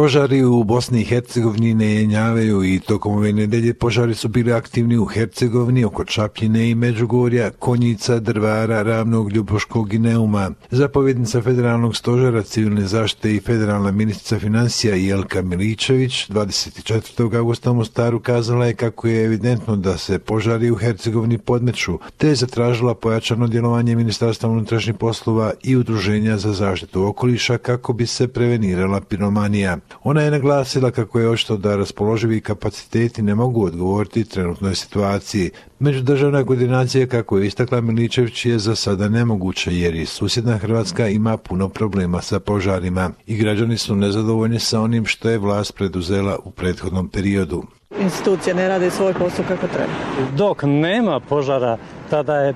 Požari u Bosni i Hercegovini ne jenjavaju i tokom ove nedelje požari su bili aktivni u Hercegovini oko Čapljine i Međugorja, Konjica, Drvara, Ravnog, Ljubuškog i Neuma. Zapovjednica Federalnog stožera civilne zaštite i federalna ministrica financija Jelka Miličević 24. augusta u Mostaru kazala je kako je evidentno da se požari u Hercegovini podmeću, te je zatražila pojačano djelovanje Ministarstva unutrašnjih poslova i Udruženja za zaštitu okoliša kako bi se prevenirala piromanija. Ona je naglasila kako je očito da raspoloživi kapaciteti ne mogu odgovoriti trenutnoj situaciji. Međudržavna koordinacija, kako je istakla Miličević, je za sada nemoguća jer i susjedna Hrvatska ima puno problema sa požarima i građani su nezadovoljni sa onim što je vlast preduzela u prethodnom periodu. Institucije ne rade svoj posao kako treba. Dok nema požara, tada je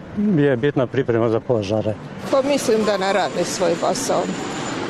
bitna priprema za požare. Pa mislim da ne rade svoj posao.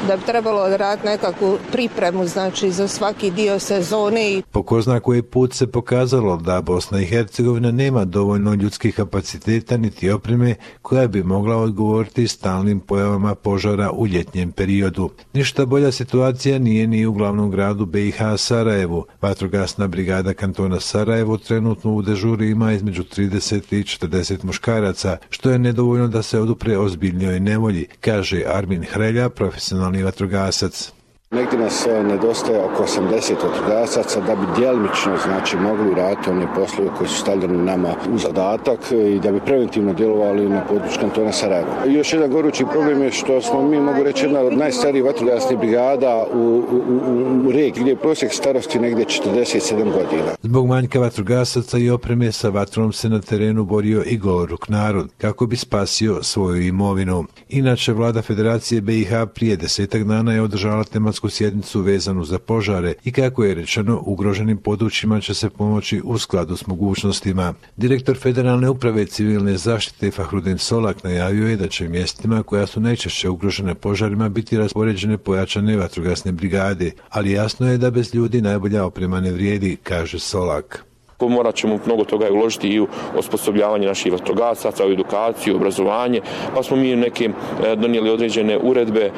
Da bi trebalo odraditi nekakvu pripremu, znači za svaki dio sezone. Po ko zna koji put se pokazalo da Bosna i Hercegovina nema dovoljno ljudskih kapaciteta niti opreme koja bi mogla odgovoriti stalnim pojavama požara u ljetnjem periodu. Ništa bolja situacija nije ni u glavnom gradu BiH Sarajevu. Vatrogasna brigada kantona Sarajevo trenutno u dežuri ima između 30 i 40 muškaraca, što je nedovoljno da se odupre ozbiljnjoj nevolji, kaže Armin Hrelja, profesionalni vatrogasac. Negdje nas nedostaje oko 80 vatrogasaca da bi djelimično mogli raditi one poslove koji su stavljeni nama u zadatak i da bi preventivno djelovali na području kantona Sarajevo. Još jedan gorući problem je što smo mi, mogu reći, jedna od najstarijih vatrogasnih brigada u regiji gdje je prosjek starosti negdje 47 godina. Zbog manjka vatrogasaca i opreme sa vatrom se na terenu borio i goloruk narod kako bi spasio svoju imovinu. Inače, vlada Federacije BiH prije 10 dana je održala tematsku sjednicu vezanu za požare i kako je rečeno, ugroženim područjima će se pomoći u skladu s mogućnostima. Direktor Federalne uprave civilne zaštite Fahrudin Solak najavio je da će mjestima koja su najčešće ugrožene požarima biti raspoređene pojačane vatrogasne brigade, ali jasno je da bez ljudi najbolja oprema ne vrijedi, kaže Solak. Morat ćemo mnogo toga uložiti i u osposobljavanje naših vatrogasaca, u edukaciju, obrazovanje, pa smo mi neke donijeli određene uredbe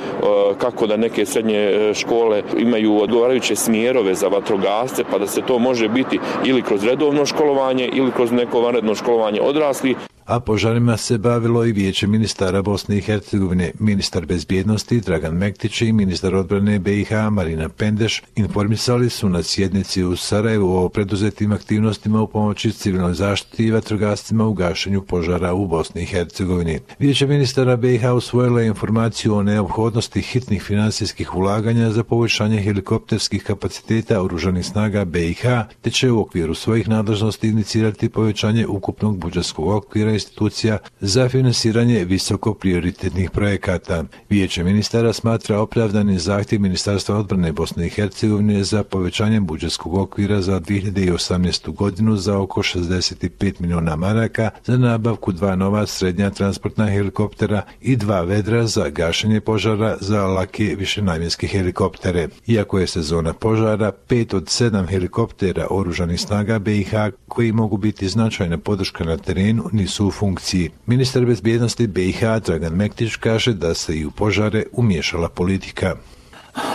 kako da neke srednje škole imaju odgovarajuće smjerove za vatrogasce, pa da se to može biti ili kroz redovno školovanje ili kroz neko vanredno školovanje odraslih. A požarima se bavilo i Vijeće ministara Bosne i Hercegovine. Ministar bezbjednosti Dragan Mektić i ministar odbrane BiH Marina Pendeš informisali su na sjednici u Sarajevu o preduzetim aktivnostima u pomoći civilnoj zaštiti i vatrogascima u gašenju požara u Bosni i Hercegovini. Vijeće ministara BiH usvojilo je informaciju o neophodnosti hitnih financijskih ulaganja za poboljšanje helikopterskih kapaciteta oružanih snaga BiH, te će u okviru svojih nadležnosti inicirati povećanje ukupnog budžetskog okvira institucija za finansiranje visoko prioritetnih projekata. Vijeće ministara smatra opravdani zahtjev Ministarstva odbrane Bosne i Hercegovine za povećanjem budžetskog okvira za 2018. godinu za oko 65 milijuna maraka za nabavku 2 nova srednja transportna helikoptera i 2 vedra za gašenje požara za lake višenamjenske helikoptere. Iako je sezona požara, 5 od 7 helikoptera oružanih snaga BiH koji mogu biti značajna podrška na terenu nisu u funkciji. Ministar bezbjednosti BiH Dragan Mektić kaže da se i u požare umiješala politika.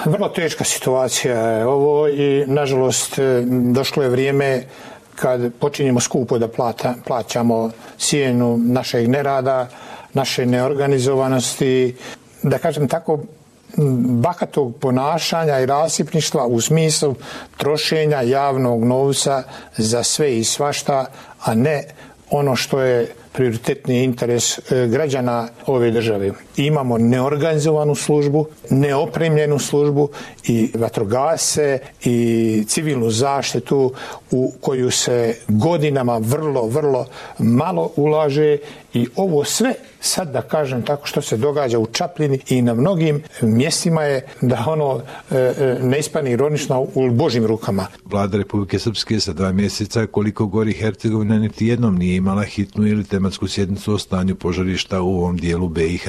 Vrlo teška situacija je ovo i nažalost došlo je vrijeme kad počinjemo skupo da plaćamo cijenu našeg nerada, naše neorganizovanosti, da kažem tako, bahatog ponašanja i rasipništva u smislu trošenja javnog novca za sve i svašta, a ne ono što je prioritetni interes građana ove države. Imamo neorganizovanu službu, neopremljenu službu i vatrogasce i civilnu zaštitu u koju se godinama vrlo malo ulaže i ovo sve sad da kažem tako što se događa u Čapljini i na mnogim mjestima je da ono ne ispani ironično u Božjim rukama. Vlada Republike Srpske sa 2 mjeseca koliko gori Hercegovina niti jednom nije imala hitnu ili tematsku sjednicu o stanju požarišta u ovom dijelu BiH.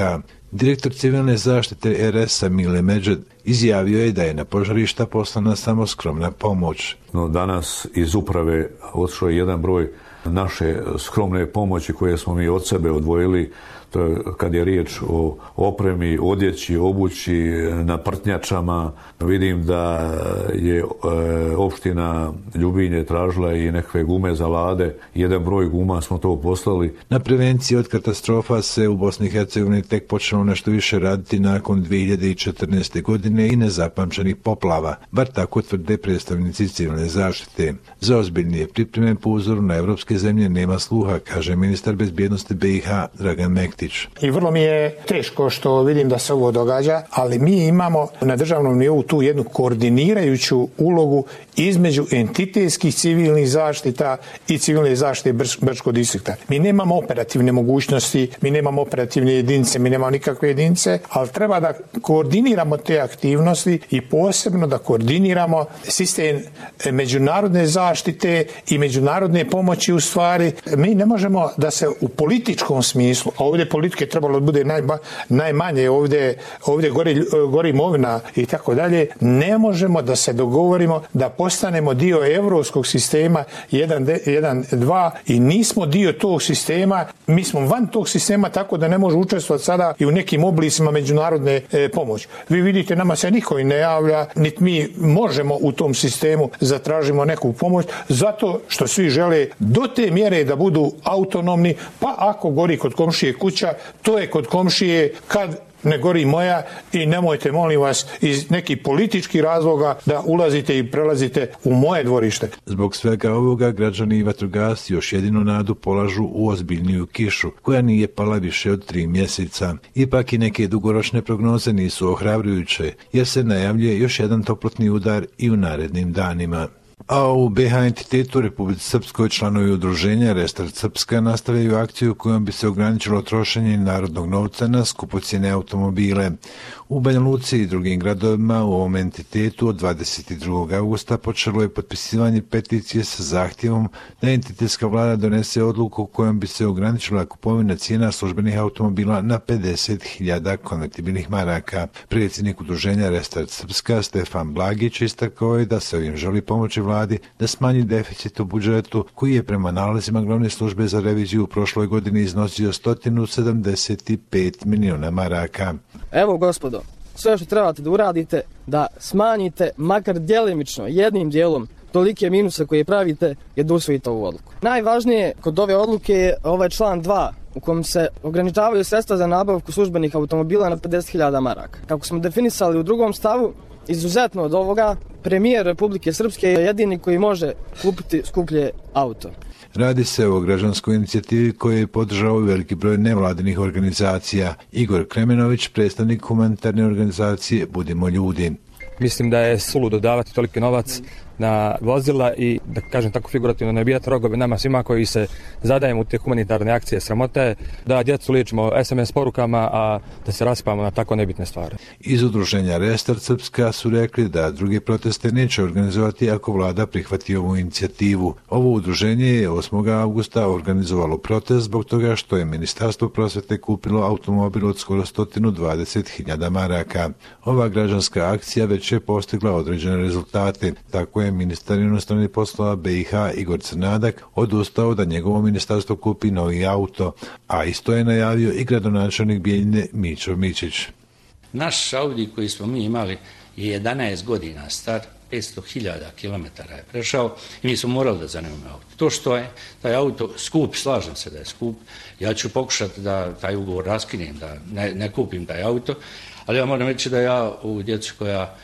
Direktor civilne zaštite RS-a Mile Medžed izjavio je da je na požarišta poslana samo skromna pomoć. No, danas iz uprave otišao je jedan broj naše skromne pomoći koje smo mi od sebe odvojili, to je kad je riječ o opremi, odjeći, obući, na prtnjačama. Vidim da je opština Ljubinje tražila i nekakve gume za lade. Jedan broj guma smo to poslali. Na prevenciji od katastrofa se u Bosni i Hercegovini tek počelo nešto više raditi nakon 2014. godine i nezapamćenih poplava, bar tako tvrde predstavnici civilne zaštite. Za ozbiljnije pripreme po uzoru na evropske zemlje nema sluha, kaže ministar bezbjednosti BiH Dragan Mektić. I vrlo mi je teško što vidim da se ovo događa, ali mi imamo na državnom nivou tu jednu koordinirajuću ulogu između entitetskih civilnih zaštita i civilne zaštite Brčkog distrikta. Mi nemamo operativne mogućnosti, mi nemamo operativne jedinice, mi nemamo nikakve jedinice, ali treba da koordiniramo te aktivnosti i posebno da koordiniramo sistem međunarodne zaštite i međunarodne pomoći. U stvari, mi ne možemo da se u političkom smislu, a ovdje politike trebalo da bude najmanje, ovdje gori imovina i tako dalje, ne možemo da se dogovorimo da postanemo dio evropskog sistema 1.2 i nismo dio tog sistema, mi smo van tog sistema tako da ne može učestvovati sada i u nekim oblicima međunarodne pomoći. Vi vidite, nama se niko i ne javlja, niti mi možemo u tom sistemu zatražimo neku pomoć, zato što svi žele do te mjere da budu autonomni, pa ako gori kod komšije kuća, to je kod komšije, kad ne gori moja, i nemojte, molim vas, iz nekih političkih razloga da ulazite i prelazite u moje dvorište. Zbog svega ovoga građani i vatrogasci još jedinu nadu polažu u ozbiljniju kišu, koja nije pala više od 3 mjeseca. Ipak i neke dugoročne prognoze nisu ohrabrujuće, jer se najavljuje još jedan toplotni udar i u narednim danima. A u BiH entitetu Republici Srpskoj članovi udruženja Restart Srpska nastavljaju akciju kojom bi se ograničilo trošenje narodnog novca na skupocjene automobile. U Banja Luci i drugim gradovima u ovom entitetu od 22. augusta počelo je potpisivanje peticije sa zahtjevom da entitetska vlada donese odluku kojom bi se ograničila kupovina cijena službenih automobila na 50.000 konvertibilnih maraka. Predsjednik udruženja Restart Srpska Stefan Blagić istakao je da se ovim želi pomoći vladi da smanji deficit u budžetu koji je prema nalazima glavne službe za reviziju u prošloj godini iznosio 175 miliona maraka. Evo gospodo, sve što trebate da uradite, da smanjite makar djelimično, jednim dijelom, tolike minuse koje pravite, je da usvojite ovu odluku. Najvažnije kod ove odluke je ovaj član 2 u kojem se ograničavaju sredstva za nabavku službenih automobila na 50.000 maraka. Kako smo definisali u drugom stavu, izuzetno od ovoga, premijer Republike Srpske je jedini koji može kupiti skuplje auto. Radi se o građanskoj inicijativi koju je podržao veliki broj nevladinih organizacija. Igor Kremenović, predstavnik humanitarne organizacije Budimo ljudi. Mislim da je suludo davati toliki novac na vozila i, da kažem tako figurativno, ne bijati rogove nama svima koji se zadajemo u te humanitarne akcije. Sramota je da djecu liječimo SMS porukama, a da se raspamo na tako nebitne stvari. Iz udruženja Restart Srpska su rekli da druge proteste neće organizovati ako vlada prihvati ovu inicijativu. Ovo udruženje je 8. augusta organizovalo protest zbog toga što je Ministarstvo prosvete kupilo automobil od skoro 120.000 maraka. Ova građanska akcija već je postigla određene rezultate. Tako je ministar inostranih poslova BiH Igor Crnadak odustao da njegovo ministarstvo kupi novi auto, a isto je najavio i gradonačelnik Bijeljine Mićo Mićić. Naš Audi koji smo mi imali je 11 godina star, 500.000 kilometara je prešao i mi smo morali da zanimamo auto. To što je taj auto skup, slažem se da je skup, ja ću pokušati da taj ugovor raskinem, da ne kupim taj auto, ali ja moram reći da ja u djecu koja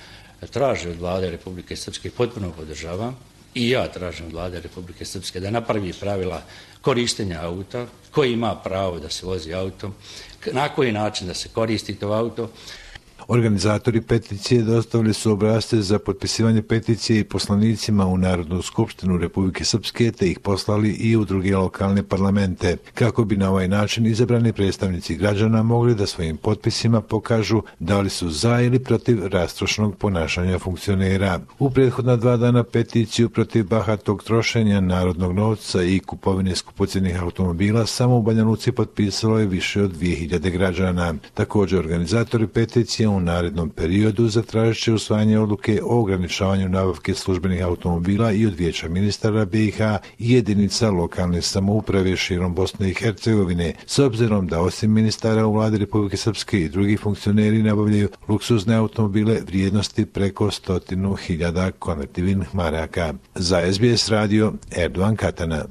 traže od vlade Republike Srpske potpuno podržavam i ja tražim od vlade Republike Srpske da napravi pravila korištenja auta, koji ima pravo da se vozi autom, na koji način da se koristi to auto. Organizatori peticije dostavili su obrasce za potpisivanje peticije i poslanicima u Narodnu skupštinu Republike Srpske, te ih poslali i u druge lokalne parlamente, kako bi na ovaj način izabrani predstavnici građana mogli da svojim potpisima pokažu da li su za ili protiv rastrošnog ponašanja funkcionera. U prethodna 2 dana peticiju protiv bahatog trošenja narodnog novca i kupovine skupocjenih automobila samo u Banja Luci potpisalo je više od 2000 građana. Također organizatori peticije u narednom periodu zatražit će usvajanje odluke o ograničavanju nabavke službenih automobila i od Vijeća ministara BiH i jedinica lokalne samouprave širom Bosne i Hercegovine, s obzirom da osim ministara u vladi Republike Srpske i drugi funkcioneri nabavljaju luksuzne automobile vrijednosti preko 100.000 konvertibilnih maraka. Za SBS radio Erdogan Katana.